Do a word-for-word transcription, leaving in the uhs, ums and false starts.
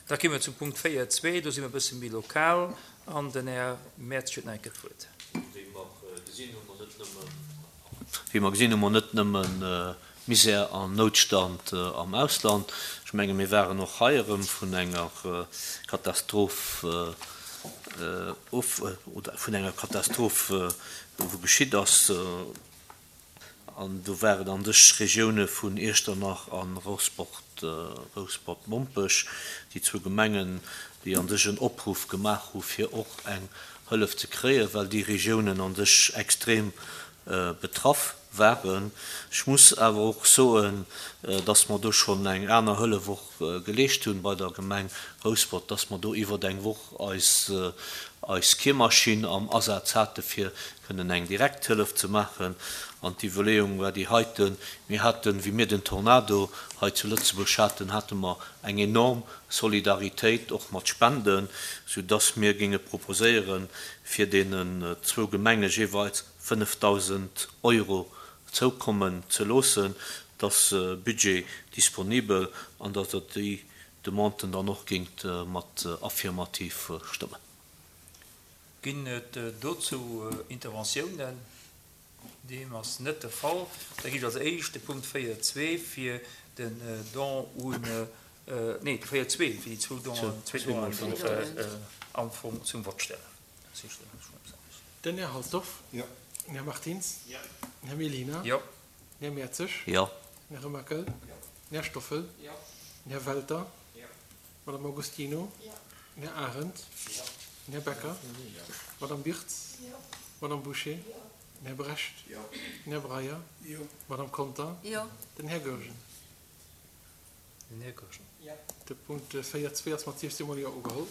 Da komme mer zum Punkt véier zwee, do si mer e bësse méi lokal an den Här Mertz huet nach eng Kéier d'Wuert. Wéi mer gesinn, hu mer net nëmmen, wéi mer gesinn, hu mer net nëmmen Misär an Noutstand am Ausland. Ech menge mir waren och hei erëm vun enger Katastroph of, oder vun enger Katastroph, wou geschitt ass, an do war et an sech Regioune vun Iechternach a Rouspert, Rouspert-Mompech, déi zwou Gemengen, déi an sech en Opruff gemaach hu fir och eng Hëllef ze kréien, well déi Regiounen an sech extrem betraff waren. Ech muss awer och soen, dass mer do schonn eng aner Hëllef och geleescht hunn bei der Gemeng Rouspert, dass mer do iwwert eng Woch eis eis Kiermaschinn am Asaz hate fir kënnen eng direkt Hëllef ze maachen. An d'Iwwerleeung war déi heiten, Mir haten, wéi mir den Tornado hei zu Lëtzebuerg haten, hate mer eng enorm Solidaritéit och mat Spenden, soudass mir géinge proposéieren, fir deenen zwou Gemenge jeeweils fënnefdausend Euro zoukommen ze loossen, dass Budget disponibel an dass Der déi Demanden dann och géingt mat affirmativ stëmmen. Ginn et dozou Interventiounen? Deem ass net de Fall. Da ginn ech als éischt de Punkt véier zwee fir den Don un, nee, de véier zwee fir déi zwou Donen, zwee Donen am Fong zum Vott stellen. Den Här Halsdorf. Jo. Den Här Martins. Jo. Den Här Mellina. Jo. Den Här Mertzig. Jo. Den Här Remakel. Jo. Den Här Stoffel. Jo. Den Här Welter. Jo. D'Madame Agostino. Jo. Den Här Arendt. Jo. Den Här Becker. Jo. D'Madame Birtz. Jo. D'Madame Bouché. Jo. Den Här Brecht. Jo. Den Här Breyer. Jo. D'Madame Conter. Jo. Den Här Goergen. Den Här Goergen. Jo. De Punkt véier zwee ass mat siefzehn mol Jo ugeholl.